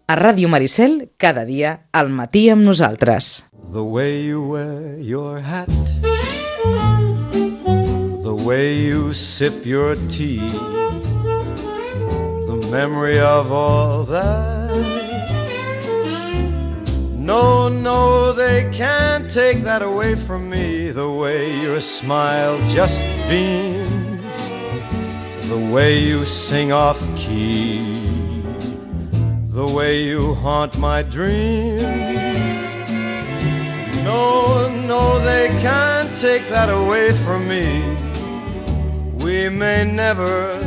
A Ràdio Maricel, cada dia, al matí amb nosaltres. The way you wear your hat, the way you sip your tea, the memory of all that. No, no, they can't take that away from me. The way your smile just beams, the way you sing off key, the way you haunt my dreams. No, no, they can't take that away from me. We may never,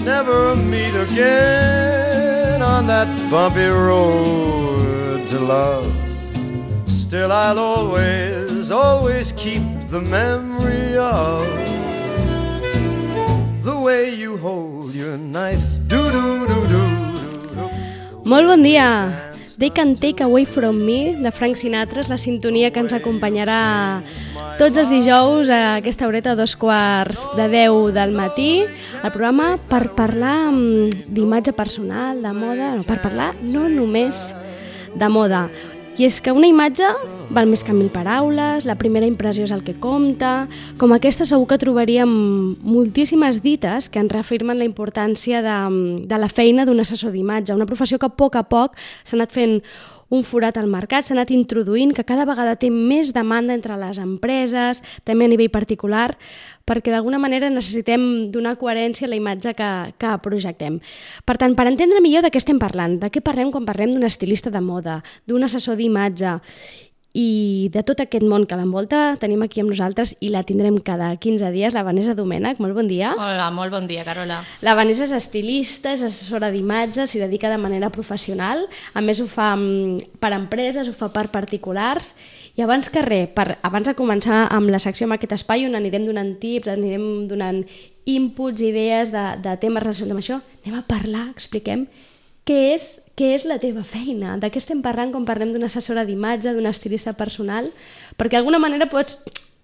never meet again on that bumpy road to love. Still I'll always, always keep the memory of the way you hold your knife. Do-do-do-do-do-do. Molt bon dia! They Can Take Away From Me, de Frank Sinatra, és la sintonia que ens acompanyarà tots els dijous a aquesta horeta a 9:45 del matí, el programa per parlar d'imatge personal, de moda, no, per parlar no només de moda. I és que una imatge val més que 1000 paraules, la primera impressió és el que compta. Com aquesta segur que trobaríem moltíssimes dites que ens reafirmen la importància de la feina d'un assessor d'imatge, una professió que a poc s'ha anat fent un forat al mercat, s'ha anat introduint, que cada vegada té més demanda entre les empreses, també a nivell particular, perquè d'alguna manera necessitem donar coherència a la imatge que projectem. Per tant, per entendre millor de què estem parlant, de què parlem quan parlem d'un estilista de moda, d'un assessor d'imatge i de tot aquest món que l'envolta, tenim aquí amb nosaltres i la tindrem cada 15 dies, la Vanessa Domènech. Molt bon dia. Hola, molt bon dia, Carola. La Vanessa és estilista, és assessora d'imatge, s'hi dedica de manera professional, a més ho fa per empreses, ho fa per particulars. I abans que res, abans de començar amb la secció, amb aquest espai on anirem donant tips, anirem donant inputs, idees de temes relacionats amb això, anem a parlar, expliquem què és la teva feina, de què estem parlant quan parlem d'una assessora d'imatge, d'un estilista personal, perquè d'alguna manera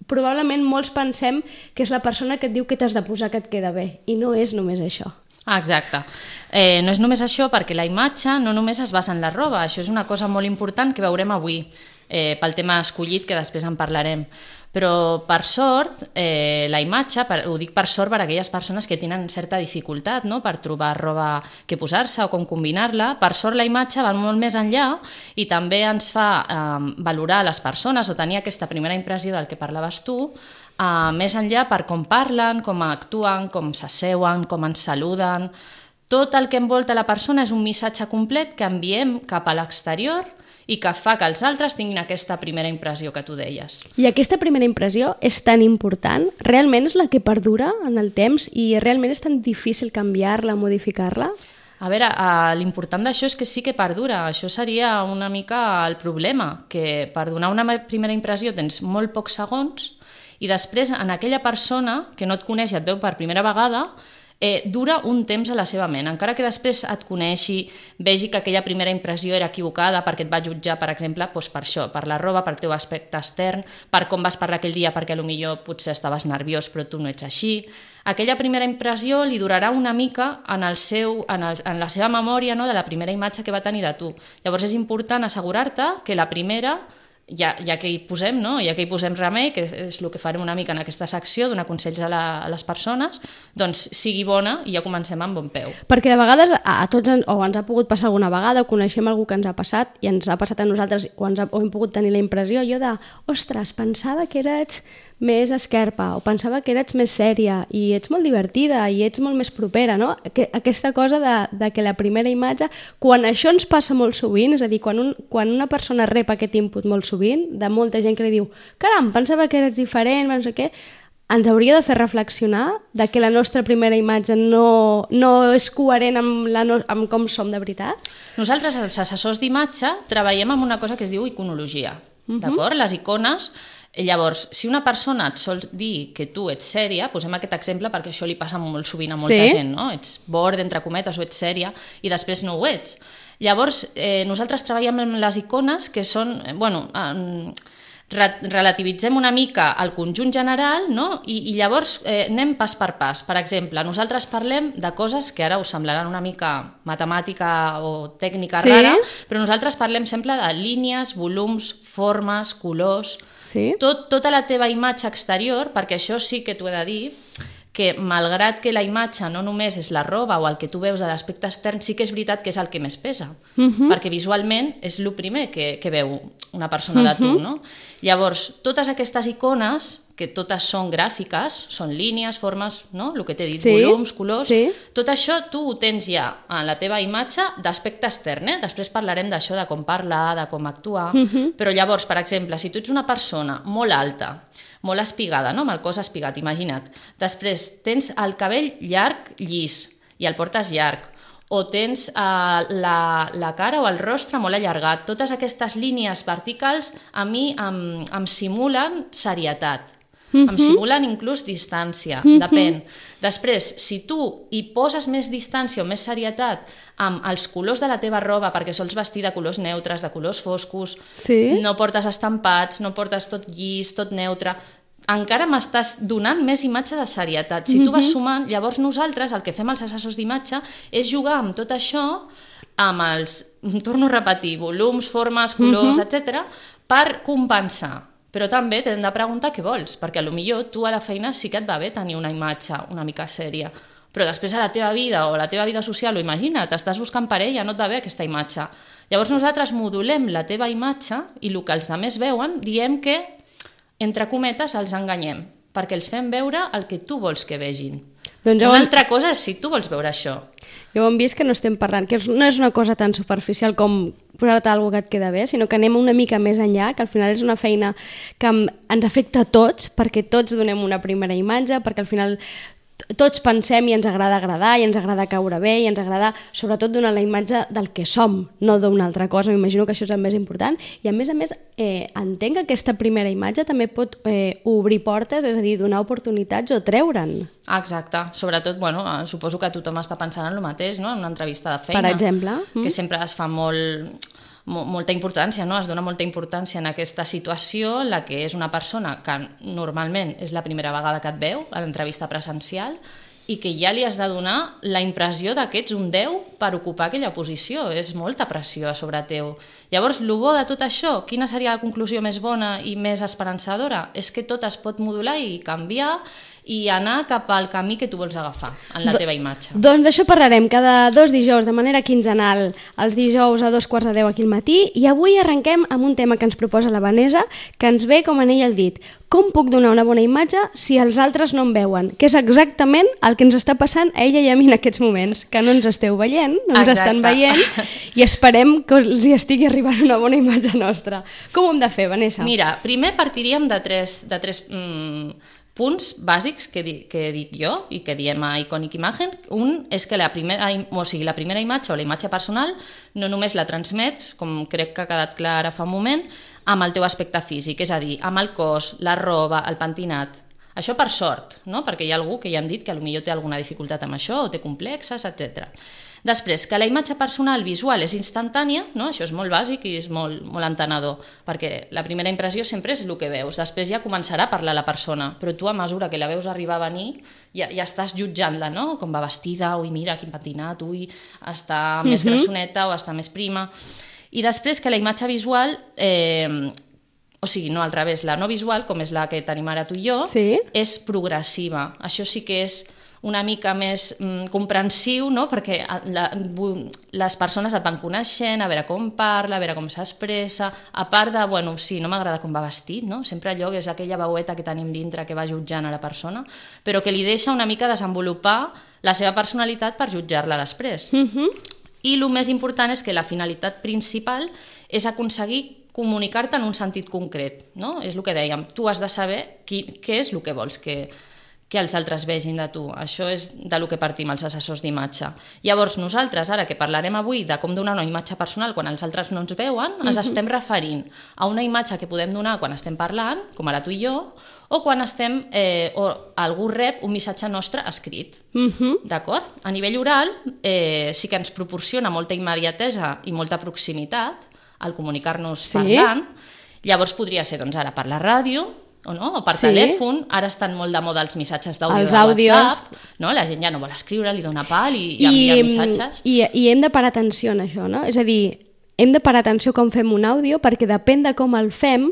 probablement molts pensem que és la persona que et diu que t'has de posar que et queda bé, i no és només això. Exacte. No és només això, perquè la imatge no només es basa en la roba, això és una cosa molt important que veurem avui, pel tema escollit, que després en parlarem. Però, per sort, la imatge, ho dic per sort per a aquelles persones que tenen certa dificultat, no?, per trobar roba que posar-se o com combinar-la, per sort la imatge va molt més enllà i també ens fa valorar les persones o tenir aquesta primera impressió del que parlaves tu, més enllà per com parlen, com actuen, com s'asseuen, com ens saluden. Tot el que envolta la persona és un missatge complet que enviem cap a l'exterior i que fa que els altres tinguin aquesta primera impressió que tu deies. I aquesta primera impressió és tan important? Realment és la que perdura en el temps i realment és tan difícil canviar-la, modificar-la? A veure, l'important d'això és que sí que perdura. Això seria una mica el problema, que per donar una primera impressió tens molt pocs segons i després en aquella persona que no et coneix i et veu per primera vegada dura un temps a la seva ment, encara que després et coneixi, vegi que aquella primera impressió era equivocada perquè et va jutjar, per exemple, doncs per això, per la roba, per el teu aspecte extern, per com vas parlar aquell dia, perquè potser potser estaves nerviós però tu no ets així. Aquella primera impressió li durarà una mica en la seva memòria, no?, de la primera imatge que va tenir de tu. Llavors és important assegurar-te que la primera, ja que hi posem, no?, ja que hi posem remei, que és el que farem una mica en aquesta secció, donar consells a les persones, doncs sigui bona i ja comencem amb bon peu. Perquè de vegades a tots ens ha pogut passar alguna vegada o coneixem algú que ens ha passat i ens ha passat a nosaltres o hem pogut tenir la impressió ostres, pensava que eres més esquerpa o pensava que eres més sèria i ets molt divertida i ets molt més propera, no? Aquesta cosa de que la primera imatge, quan això ens passa molt sovint, és a dir, quan una persona rep aquest input molt sovint, de molta gent que li diu caram, pensava que eres diferent, no sé què, ens hauria de fer reflexionar de que la nostra primera imatge no és coherent amb com som de veritat? Nosaltres, els assessors d'imatge, treballem amb una cosa que es diu iconologia, d'acord? Les icones. Llavors, si una persona et sol dir que tu ets sèria, posem aquest exemple perquè això li passa molt sovint a molta gent, no? Ets bord, entre cometes, o ets sèria, i després no ho ets. Llavors, nosaltres treballem amb les icones que són, relativitzem una mica el conjunt general, no? I llavors anem pas per pas. Per exemple, nosaltres parlem de coses que ara us semblaran una mica matemàtica o tècnica rara, però nosaltres parlem sempre de línies, volums, formes, colors... Tota la teva imatge exterior, perquè això sí que t'ho he de dir, que malgrat que la imatge no només és la roba o el que tu veus de l'aspecte extern, sí que és veritat que és el que més pesa, perquè visualment és el primer que veu una persona de tu, no? Llavors, totes aquestes icones, que totes són gràfiques, són línies, formes, no? El que t'he dit, volums, colors, tot això tu ho tens ja en la teva imatge d'aspecte extern, Després parlarem d'això, de com parlar, de com actuar, però llavors, per exemple, si tu ets una persona molt alta, molt espigada, no? Amb el cos espigat, imagina't. Després tens el cabell llarg, llis, i el portes llarg, o tens la cara o el rostre molt allargat. Totes aquestes línies verticals a mi em simulen serietat, em simulen inclús distància, depèn. Després, si tu hi poses més distància o més serietat amb els colors de la teva roba, perquè sols vestir de colors neutres, de colors foscos, no portes estampats, no portes tot llis, tot neutre, encara m'estàs donant més imatge de serietat. Si tu vas sumant, llavors nosaltres el que fem als assessors d'imatge és jugar amb tot això, amb els, torno a repetir, volums, formes, colors, etc., per compensar. Però també t'hem de preguntar què vols, perquè potser tu a la feina sí que et va bé tenir una imatge una mica sèria, però després a la teva vida o a la teva vida social, o imagina't, estàs buscant parella, no et va bé aquesta imatge. Llavors nosaltres modulem la teva imatge i el que els altres veuen diem que, entre cometes, els enganyem, perquè els fem veure el que tu vols que vegin. Una altra cosa és si tu vols veure això. Ja ho hem vist que no estem parlant, que no és una cosa tan superficial com posar-te alguna que et queda bé, sinó que anem una mica més enllà, que al final és una feina que ens afecta a tots, perquè tots donem una primera imatge, perquè al final tots pensem i ens agrada agradar, i ens agrada caure bé, i ens agrada sobretot donar la imatge del que som, no d'una altra cosa. M'imagino que això és el més important. I a més, entenc que aquesta primera imatge també pot obrir portes, és a dir, donar oportunitats o treure'n. Exacte. Sobretot, suposo que tothom està pensant en el mateix, no? En una entrevista de feina. Per exemple. Que sempre es fa molta importància, no? Es dona molta importància en aquesta situació en la que és una persona que normalment és la primera vegada que et veu a l'entrevista presencial i que ja li has de donar la impressió que ets un 10 per ocupar aquella posició. És molta pressió a sobre teu. Llavors, el bo de tot això, quina seria la conclusió més bona i més esperançadora? És que tot es pot modular i canviar i anar cap al camí que tu vols agafar en la teva imatge. Doncs d'això parlarem cada 2 dijous de manera quinzenal, els dijous a 2:15 aquí al matí, i avui arrenquem amb un tema que ens proposa la Vanessa, que ens ve com anell al dit. Com puc donar una bona imatge si els altres no em veuen? Que és exactament el que ens està passant a ella i a mi en aquests moments, que no ens esteu veient, no ens estan veient, i esperem que els hi estigui arribant una bona imatge nostra. Com ho hem de fer, Vanessa? Mira, primer partiríem de tres punts bàsics que dic jo i que diem a Iconic Imagen. Un és que la primera imatge o la imatge personal no només la transmets, com crec que ha quedat clar ara fa un moment, amb el teu aspecte físic, és a dir, amb el cos, la roba, el pentinat. Això per sort, no? Perquè hi ha algú que ja hem dit que potser té alguna dificultat amb això o té complexes, etc. Després, que la imatge personal visual és instantània, no? Això és molt bàsic i és molt entenedor, perquè la primera impressió sempre és el que veus, després ja començarà a parlar la persona, però tu a mesura que la veus arribar a venir ja estàs jutjant-la, no? Com va vestida, ui, mira, quin pentinat, ui, està més grassoneta o està més prima. I després que la imatge visual, o sigui, no al revés, la no visual, com és la que tenim ara tu i jo, és progressiva. Això sí que és una mica més comprensiu, no? Perquè les persones et van coneixent, a veure com parla, a veure com s'expressa, a part de, sí, no m'agrada com va vestit, no? Sempre allò que és aquella veueta que tenim dintre que va jutjant a la persona, però que li deixa una mica desenvolupar la seva personalitat per jutjar-la després. I el més important és que la finalitat principal és aconseguir comunicar-te en un sentit concret, no? És el que dèiem, tu has de saber què és el que vols que els altres vegin de tu. Això és del que partim els assessors d'imatge. Llavors nosaltres, ara que parlarem avui de com donar una imatge personal quan els altres no ens veuen, ens estem referint a una imatge que podem donar quan estem parlant, com ara tu i jo, o quan o algú rep un missatge nostre escrit. D'acord? A nivell oral sí que ens proporciona molta immediatesa i molta proximitat al comunicar-nos parlant, Llavors podria ser doncs, ara per la ràdio, o per telèfon. Ara estan molt de moda els missatges d'àudio de WhatsApp, no? La gent ja no vol escriure, li dona pal i envia missatges. I hem de parar atenció en això, no? És a dir, hem de parar atenció com fem un àudio, perquè depèn de com el fem,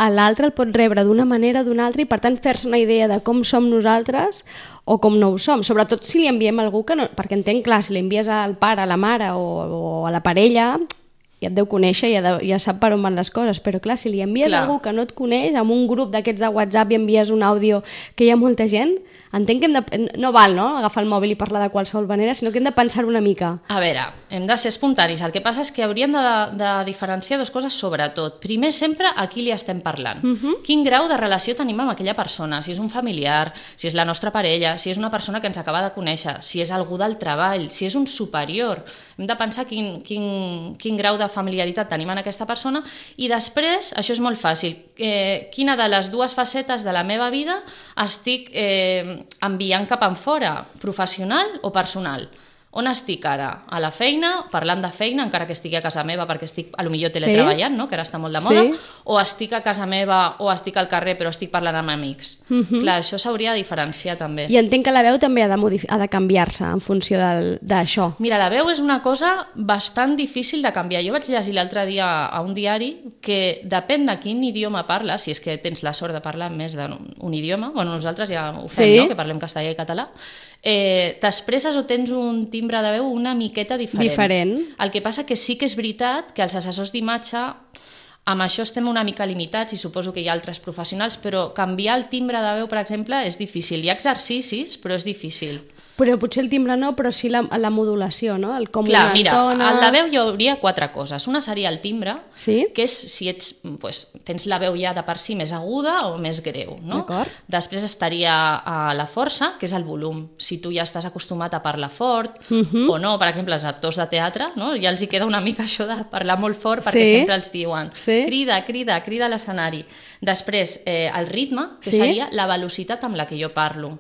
l'altre el pot rebre d'una manera o d'una altra, i per tant fer-se una idea de com som nosaltres o com no ho som. Sobretot si li enviem a algú que no... Perquè entenc, clar, si li envies al pare, a la mare o a la parella, ja et deu conèixer, ja sap per on van les coses, però clar, si li envies a algú que no et coneix, amb un grup d'aquests de WhatsApp i envies un àudio que hi ha molta gent, entenc que no val, no?, agafar el mòbil i parlar de qualsevol manera, sinó que hem de pensar una mica. A veure, hem de ser espontanis. El que passa és que hauríem de diferenciar dues coses sobretot. Primer, sempre a qui li estem parlant. Quin grau de relació tenim amb aquella persona, si és un familiar, si és la nostra parella, si és una persona que ens acaba de conèixer, si és algú del treball, si és un superior. Hem de pensar quin grau de familiaritat tenim en aquesta persona i després, això és molt fàcil, quina de les dues facetes de la meva vida estic enviant cap enfora, professional o personal. On estic ara? A la feina, parlant de feina, encara que estigui a casa meva perquè estic potser teletreballant, no? Que ara està molt de moda, o estic a casa meva o estic al carrer però estic parlant amb amics. Clar, això s'hauria de diferenciar també. I entenc que la veu també ha de canviar-se en funció d'això. Mira, la veu és una cosa bastant difícil de canviar. Jo vaig llegir l'altre dia a un diari que depèn de quin idioma parles, si és que tens la sort de parlar més d'un idioma, bueno, nosaltres ja ho fem, no? Que parlem castellà i català, t'expresses o tens un timbre de veu una miqueta diferent. El que passa que sí que és veritat que els assessors d'imatge amb això estem una mica limitats i suposo que hi ha altres professionals, però canviar el timbre de veu, per exemple, és difícil. Hi ha exercicis, però és difícil. Però potser el timbre no, però sí la modulació, no? El com clar, mira, a la veu hi hauria 4 coses. Una seria el timbre, que és si tens la veu ja de per si més aguda o més greu, no? Després estaria la força, que és el volum. Si tu ja estàs acostumat a parlar fort o no, per exemple, els actors de teatre, no? Ja els hi queda una mica això de parlar molt fort perquè sempre els diuen crida, crida, crida a l'escenari. Després, el ritme, que seria la velocitat amb la que jo parlo.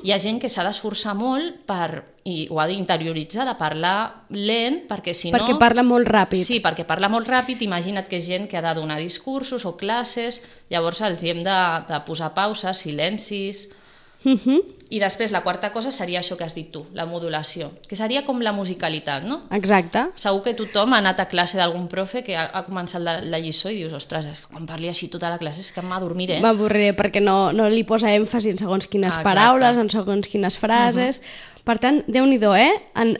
Hi ha gent que s'ha d'esforçar molt i ho ha d'interioritzar, de parlar lent, perquè si no... Perquè parla molt ràpid. Sí, perquè parla molt ràpid. Imagina't que és gent que ha de donar discursos o classes, llavors els hem de posar pauses, silencis... I després la quarta cosa seria això que has dit tu, la modulació, que seria com la musicalitat, no? Exacte. Segur que tothom ha anat a classe d'algun profe que ha començat la lliçó i dius, ostres, quan parli així tota la classe és que m'adormiré. M'avorriré perquè no li posa èmfasi en segons quines paraules, en segons quines frases... Per tant, Déu-n'hi-do,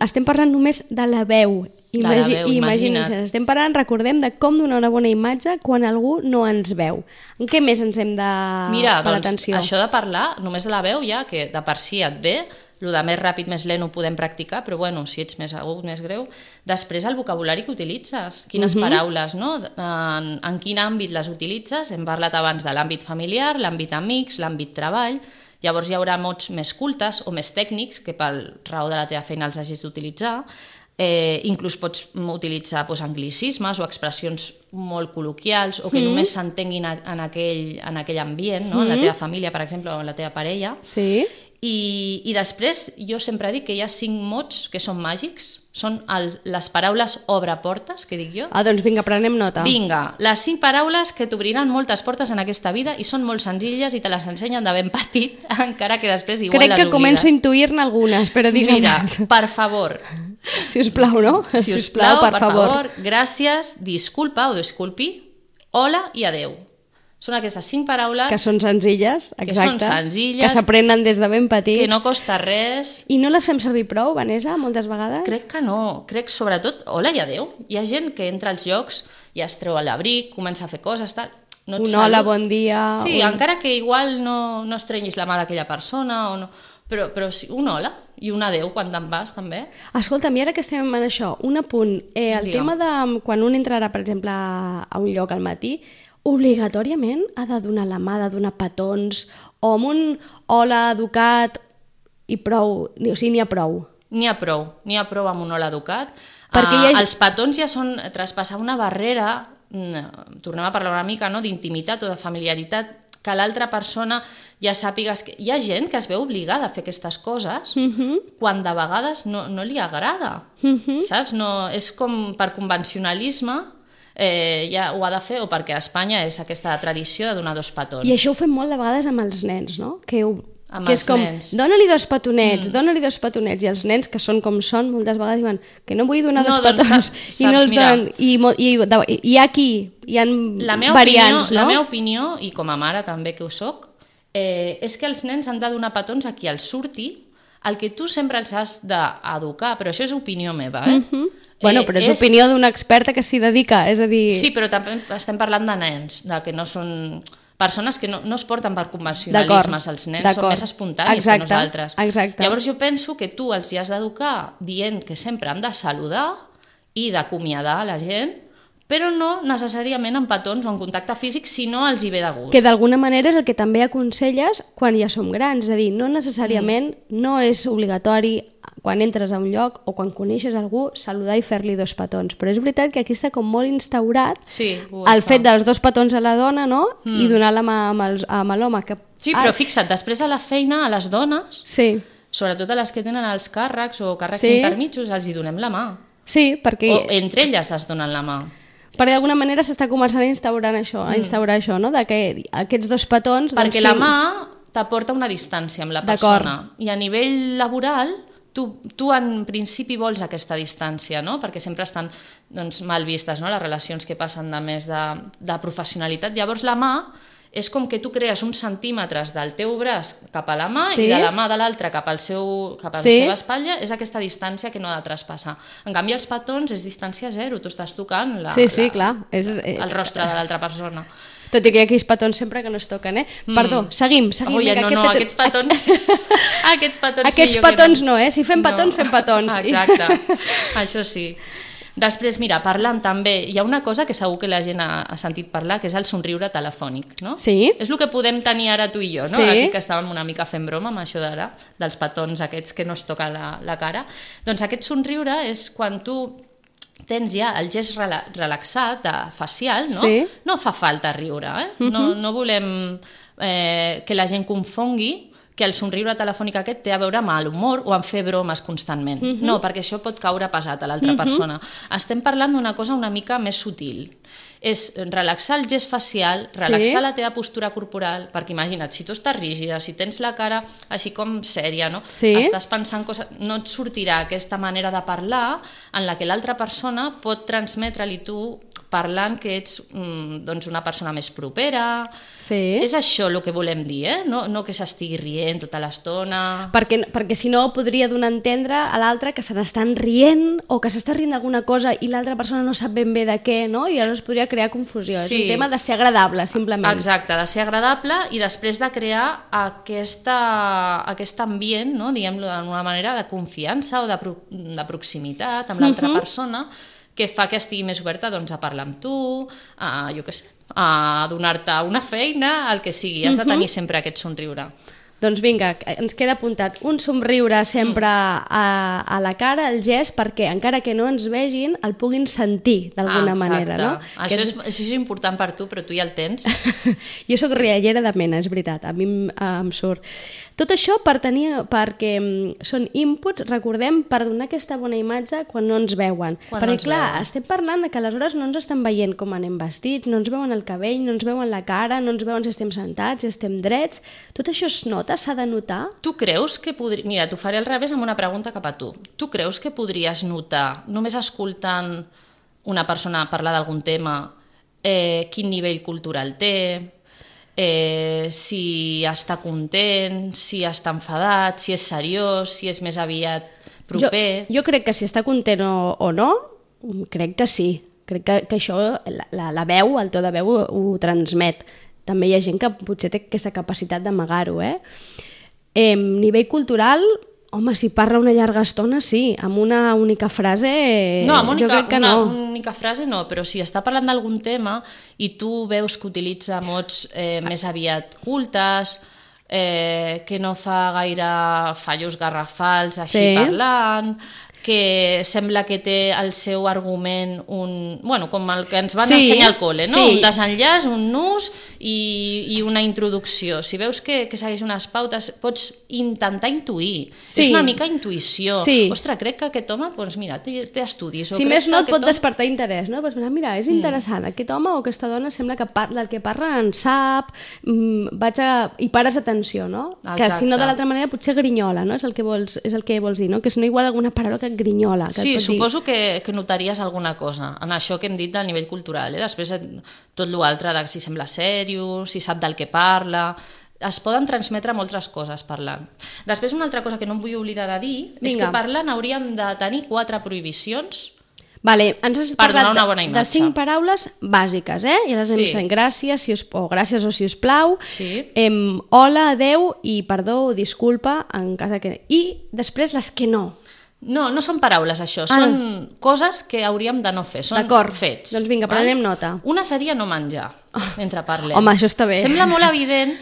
estem parlant només de la veu. Imagina't. Estem parlant, recordem, de com donar una bona imatge quan algú no ens veu. En què més ens hem de parar atenció? Mira, això de parlar, només de la veu ja, que de per si et ve, el de més ràpid, més lent ho podem practicar, però bueno, si ets més agut, més greu, després el vocabulari que utilitzes, quines paraules, no? En quin àmbit les utilitzes? Hem parlat abans de l'àmbit familiar, l'àmbit amics, l'àmbit treball. Llavors hi haurà mots més cultes o més tècnics que pel raó de la teva feina els hagis d'utilitzar. Inclús pots utilitzar anglicismes o expressions molt col·loquials o que només s'entenguin en aquell ambient, no? En la teva família, per exemple, o en la teva parella. Sí. I després jo sempre dic que hi ha 5 mots que són màgics, són les paraules obre-portes, que dic jo. Doncs vinga, prenem nota. Vinga, les 5 paraules que t'obriran moltes portes en aquesta vida i són molt senzilles i te les ensenyen de ben petit, encara que després igual les oblides. Crec que començo a intuir-ne algunes, però digue'm. Mira, per favor. Si us plau, no? Si us plau, per favor, gràcies, disculpa o disculpi, hola i adeu. Són aquestes 5 paraules... Que són senzilles, exacte. Que s'aprenen des de ben petit. Que no costa res. I no les fem servir prou, Vanessa, moltes vegades? Crec que no. Crec, sobretot, hola i adeu. Hi ha gent que entra als llocs i es treu l'abric, comença a fer coses, tal. No un hola, bon dia... Sí, encara que igual no estrenyis la mà d'aquella persona, o no, però sí, un hola i un adeu quan te'n vas, també. Escolta'm, i ara que estem en això, un apunt. El tema de quan un entrarà, per exemple, a un lloc al matí, obligatòriament ha de donar la mà, ha de donar petons, o amb un hola educat i prou, o sigui, n'hi ha prou. N'hi ha prou amb un hola educat. Perquè els petons ja són traspassar una barrera, tornem a parlar una mica, no?, d'intimitat o de familiaritat, que l'altra persona ja sàpigues que... Hi ha gent que es veu obligada a fer aquestes coses quan de vegades no li agrada, saps? No, és com per convencionalisme. ja ho ha de fer o perquè a Espanya és aquesta tradició de donar 2 petons. I això ho fem molt de vegades amb els nens, no? Que és com, nens. dóna-li 2 petonets, dóna-li 2 petonets, i els nens, que són com són, moltes vegades diuen que no vull donar 2 petons, i no els donen, i hi ha aquí, hi ha variants, no? La meva opinió, i com a mare també que ho soc, és que els nens han de donar petons a qui els surti, el que tu sempre els has d'educar, però això és opinió meva, Bueno, però és opinió d'una experta que s'hi dedica, és a dir... Sí, però també estem parlant de nens, de que no són... Persones que no es porten per convencionalismes, els nens són més espontanis que nosaltres. Exacte. Llavors jo penso que tu els hi has d'educar dient que sempre han de saludar i d'acomiadar la gent, però no necessàriament en petons o en contacte físic si no els hi ve de gust. Que d'alguna manera és el que també aconselles quan ja som grans, és a dir, no necessàriament no és obligatori quan entres a un lloc o quan coneixes algú saludar i fer-li 2 petons, però és veritat que aquí està com molt instaurat el fet dels 2 petons a la dona, no? I donar la mà amb l'home. Sí, però fixa't, després a la feina, a les dones, sobretot a les que tenen els càrrecs o càrrecs intermitjos, els hi donem la mà. Sí, perquè... O entre elles es donen la mà. Perquè d'alguna manera s'està començant a instaurar això, no? De que aquests 2 petons... Perquè la mà t'aporta una distància amb la persona. I a nivell laboral, tu en principi vols aquesta distància, no? Perquè sempre estan mal vistes, no? Les relacions que passen de més de professionalitat. Llavors la mà és com que tu crees uns centímetres del teu braç cap a la mà i de la mà de l'altre cap a la seva espatlla, és aquesta distància que no ha de traspassar. En canvi, els petons és distància zero, tu estàs tocant el rostre de l'altra persona. Tot i que hi ha aquells petons sempre que no es toquen, Perdó, seguim. Aquests petons... Aquests petons no, Si fem petons, fem petons. Exacte, això sí. Després, mira, parlant també, hi ha una cosa que segur que la gent ha sentit parlar, que és el somriure telefònic, no? Sí. És el que podem tenir ara tu i jo, no? Aquí que estàvem una mica fent broma amb això d'ara, dels petons aquests que no es toquen la cara. Doncs aquest somriure és quan tu tens ja el gest relaxat, facial, no? Sí. No fa falta riure, No volem que la gent confongui que el somriure telefònic aquest té a veure amb l'humor o amb fer bromes constantment. No, perquè això pot caure pesat a l'altra persona. Estem parlant d'una cosa una mica més sutil. És relaxar el gest facial, relaxar la teva postura corporal, perquè imagina't, si tu estàs rígida, si tens la cara així com sèria, no? Estàs pensant coses, no et sortirà aquesta manera de parlar en la que l'altra persona pot transmetre-li tu parlant que ets una persona més propera. És això el que volem dir, no que s'estigui rient tota l'estona. Perquè si no podria donar a entendre a l'altre que se n'estan rient o que s'està rient d'alguna cosa i l'altra persona no sap ben bé de què, no? I llavors podria crear confusió. És un tema de ser agradable, simplement. Exacte, de ser agradable i després de crear aquest ambient, no? Diguem-lo d'una manera, de confiança o de proximitat amb l'altra persona, que fa que estigui més oberta a parlar amb tu, a donar-te una feina, el que sigui. Has de tenir sempre aquest somriure. Doncs vinga, ens queda apuntat un somriure sempre a la cara, el gest, perquè encara que no ens vegin, el puguin sentir d'alguna manera, no? Això és important per tu, però tu ja el tens. Jo soc riallera de mena, és veritat, a mi em surt. Tot això perquè són inputs, recordem, per donar aquesta bona imatge quan no ens veuen. Perquè, clar, estem parlant que aleshores no ens estan veient com anem vestits, no ens veuen el cabell, no ens veuen la cara, no ens veuen si estem sentats, si estem drets. Tot això es nota, s'ha de notar? Tu creus que podria... Mira, t'ho faré al revés amb una pregunta cap a tu. Tu creus que podries notar, només escoltant una persona parlar d'algun tema, quin nivell cultural té, si està content, si està enfadat, si és seriós, si és més aviat proper... Jo crec que si està content o no, crec que sí. Crec que això, la veu, el to de veu ho transmet. També hi ha gent que potser té aquesta capacitat d'amagar-ho, Nivell cultural... Home, si parla una llarga estona, sí. Amb una única frase, jo crec que no. Una única frase no, però si està parlant d'algun tema i tu veus que utilitza mots més aviat cultes, que no fa gaire fallos garrafals així parlant, que sembla que té el seu argument com el que ens van ensenyar al col·le, no? Un desenllaç, un nus i una introducció. Si veus que segueix unes pautes, pots intentar intuir. És una mica intuïció. Ostres, crec que aquest home, doncs mira, té estudis. Si més no, et pot despertar interès, no? Mira, és interessant, aquest home o aquesta dona sembla que el que parla en sap, i pares atenció, no? Que si no de l'altra manera potser grinyola, no? És el que vols dir, no? Que si no igual alguna paraula que grinyola. Sí, suposo que notaries alguna cosa en això que hem dit del nivell cultural. Després tot l'altre, si sembla sèrio, si sap del que parla... Es poden transmetre moltes coses parlant. Després una altra cosa que no em vull oblidar de dir és que parlant hauríem de tenir 4 prohibicions. Vale, ens has parlat de 5 paraules bàsiques, i les hem dit gràcies o si us plau, hola, adeu i perdó o disculpa en cas que... I després les que no. No són paraules, això. Són coses que hauríem de no fer. Són fets. Doncs vinga, prenem nota. Una seria no menjar mentre parlem. Home, això està bé. Sembla molt evident.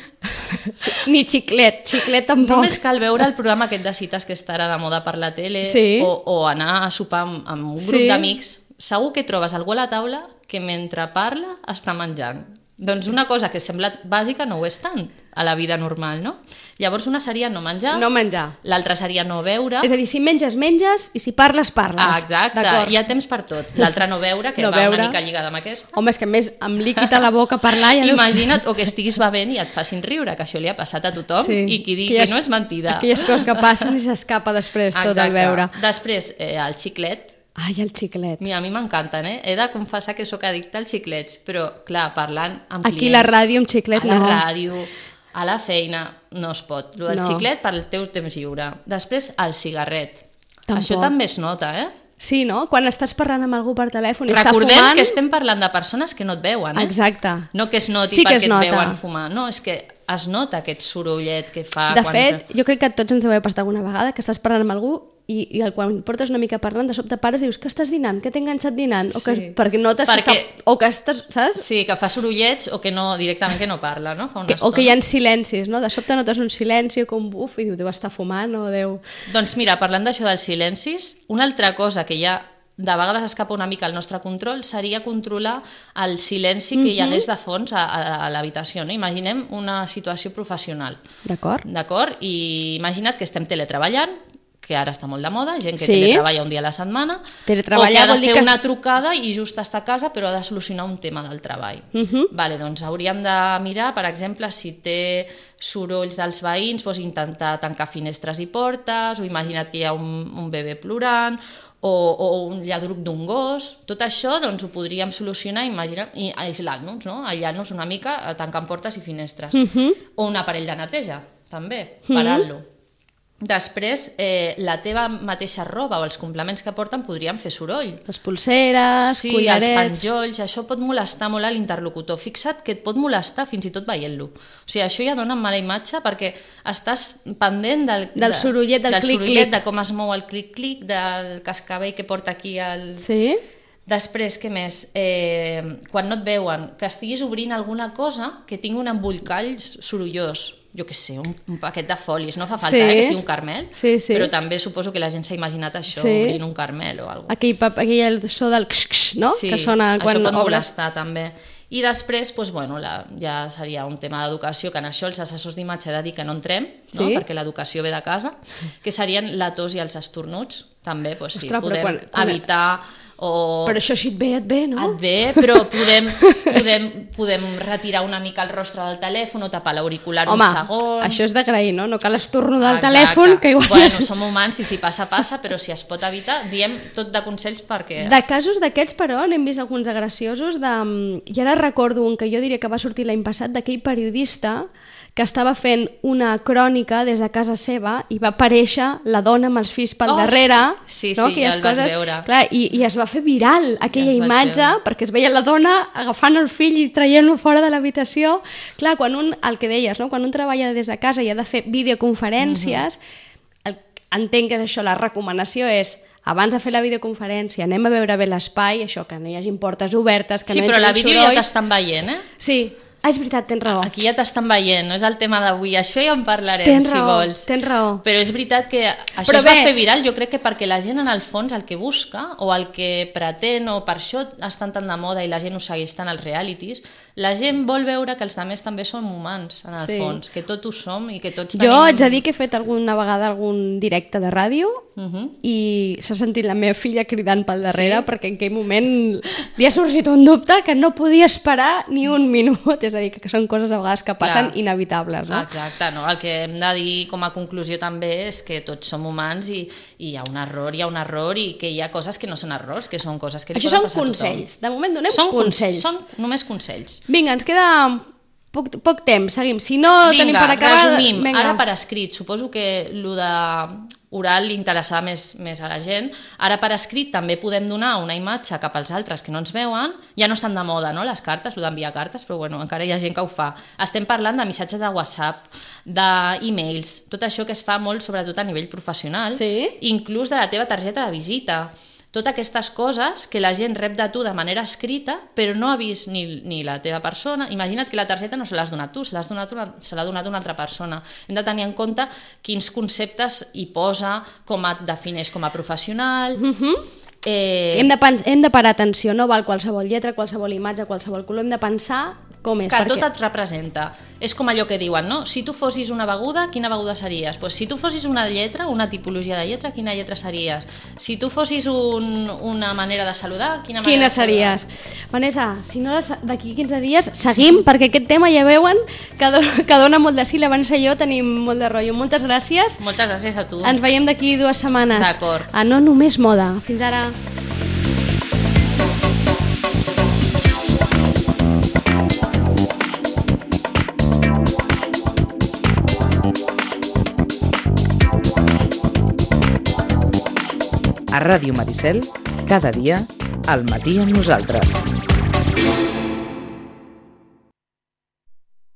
Ni xiclet tampoc. Només cal veure el programa aquest de cites que està ara de moda per la tele o anar a sopar amb un grup d'amics. Segur que trobes algú a la taula que mentre parla està menjant. Doncs una cosa que sembla bàsica no ho és tant a la vida normal, no? Llavors una seria no menjar. No menjar. L'altra seria no beure. És a dir, si menges, menges, i si parles, parles. Exacte, hi ha temps per tot. L'altra no beure, que va una mica lligada amb aquesta. Home, és que a més, amb líquid a la boca parlar... Imagina't, o que estiguis bevent i et facin riure, que això li ha passat a tothom, i qui digui que no és mentida. Aquelles coses que passen i s'escapa després tot el beure. Després, el xiclet. Ai, el xiclet. Mira, a mi m'encanten, He de confessar que sóc addicta als xiclets, però, clar, parlant amb clients... Aquí a la ràdio amb xiclet no. A la ràdio, a la feina, no es pot. El del xiclet per al teu temps lliure. Després, el cigarret. Tampoc. Això també es nota, Sí, no? Quan estàs parlant amb algú per telèfon i està fumant... Recordem que estem parlant de persones que no et veuen, Exacte. No que es noti perquè et veuen fumar. No, és que es nota aquest sorollet que fa... De fet, jo crec que a tots ens deu haver passat alguna vegada que estàs parlant amb algú i quan portes una mica parlant, de sobte pares i dius que estàs dinant, que t'he enganxat dinant, perquè notes que estàs, saps? Sí, que fa sorollets o que no, directament que no parla, no? Fa una estona. O que hi ha silencis, no? De sobte notes un silenci com buf i diu, deu estar fumant o deu... Doncs mira, parlant d'això dels silencis, una altra cosa que ja de vegades escapa una mica al nostre control seria controlar el silenci que hi hagués de fons a l'habitació, no? Imaginem una situació professional. D'acord. I imagina't que estem teletreballant, que ara està molt de moda, gent que teletreballa un dia a la setmana, o que ha de fer una trucada i just està a casa però ha de solucionar un tema del treball. Vale, doncs hauríem de mirar, per exemple, si té sorolls dels veïns, doncs intentar tancar finestres i portes, o imagina't que hi ha un bebè plorant, o un lladruc d'un gos. Tot això doncs, ho podríem solucionar i aïslant-nos, no? Aïllant-nos una mica, tancant portes i finestres. O un aparell de neteja, també, parant-lo. Després, la teva mateixa roba o els complements que porten podrien fer soroll. Les pulseres, collarets... els penjolls, això pot molestar molt a l'interlocutor. Fixa't que et pot molestar fins i tot veient-lo. O sigui, això ja dona mala imatge perquè estàs pendent del sorollet, del clic-clic. De com es mou el clic-clic, del cascabell que porta aquí el... Sí? Després, què més? Quan no et veuen, que estiguis obrint alguna cosa que tingui un embolcall sorollós. Jo què sé, un paquet de folis. No fa falta que sigui un carmel, però també suposo que la gent s'ha imaginat això, obrint un carmel o alguna cosa. Aquell so del x-x, no? Sí, que sona quan això pot molestar també. I després, doncs, bueno, ja seria un tema d'educació, que en això els assessors d'imatge he de dir que no entrem, no? Perquè l'educació ve de casa, que serien la tos i els estornuds, també, doncs, sí, podem evitar... Però això si et ve, no? Et ve, però podem retirar una mica el rostre del telèfon o tapar l'auricular un segon. Home, això és d'agrair, no? No cal estornudar el telèfon, que igual... Bueno, som humans i si passa, però si es pot evitar, diem tot de consells perquè... De casos d'aquests, però, n'hem vist alguns graciosos i ara recordo un que jo diria que va sortir l'any passat, d'aquell periodista que estava fent una crònica des de casa seva i va aparèixer la dona amb els fills pel darrere. Sí, no? Ja el vaig veure. Clar, i es va fer viral aquella imatge perquè es veia la dona agafant el fill i traient-lo fora de l'habitació. Clar, el que deies, no? Quan un treballa des de casa i ha de fer videoconferències, entenc que això, la recomanació és abans de fer la videoconferència anem a veure bé l'espai, això, que no hi hagi portes obertes, que no hi hagi sorolls. Sí, però la vídeo ja t'estan veient, Sí, Ah, és veritat, tens raó. Aquí ja t'estan veient, no és el tema d'avui, això ja en parlarem, Tens si raó, vols. tens raó. Però és veritat que això Però es va bé. fer viral, jo crec que perquè la gent en el fons el que busca o el que pretén, o per això estan tan de moda i la gent ho segueix tant als realities, la gent vol veure que els altres també som humans, en el Sí. fons, que tots ho som i que tots Jo tenim... haig de dir que he fet alguna vegada algun directe de ràdio i s'ha sentit la meva filla cridant pel darrere perquè en aquell moment li ha sorgit un dubte que no podia esperar ni un minut, és a dir, que són coses a vegades que passen Clar. inevitables, no? Exacte, no? El que hem de dir com a conclusió també és que tots som humans i hi ha un error i que hi ha coses que no són errors, que són coses que li Això poden són passar a tothom. consells, de moment donem Són consells. Són només consells. Vinga, ens queda poc temps, seguim. Si no tenim per acabar... resumim, vinga. ara per escrit, suposo que el de oral li interessava més a la gent, ara per escrit també podem donar una imatge cap als altres que no ens veuen, ja no estan de moda, no?, les cartes, el d'enviar cartes, però bueno, encara hi ha gent que ho fa. Estem parlant de missatges de WhatsApp, d'e-mails, tot això que es fa molt, sobretot a nivell professional, Sí. inclús de la teva targeta de visita. Totes aquestes coses que la gent rep de tu de manera escrita, però no ha vist ni la teva persona. Imagina't que la targeta no se l'has donat tu, se l'ha donat una altra persona. Hem de tenir en compte quins conceptes hi posa, com et defineix com a professional... Hem de parar atenció, no val qualsevol lletra, qualsevol imatge, qualsevol color, hem de pensar com és. Que tot et representa. És com allò que diuen, no? Si tu fossis una beguda, quina beguda series? Pues si tu fossis una lletra, una tipologia de lletra, quina lletra series? Si tu fossis una manera de saludar, quina manera Quina de saludar? series? Vanessa, si no d'aquí 15 dies seguim, perquè aquest tema ja veuen que dona molt de sí. La Vanessa i jo tenim molt de rotllo. Moltes gràcies. Moltes gràcies a tu. Ens veiem d'aquí 2 setmanes. D'acord. A No Només Moda. Fins ara. A Ràdio Maricel, cada dia, al matí amb nosaltres.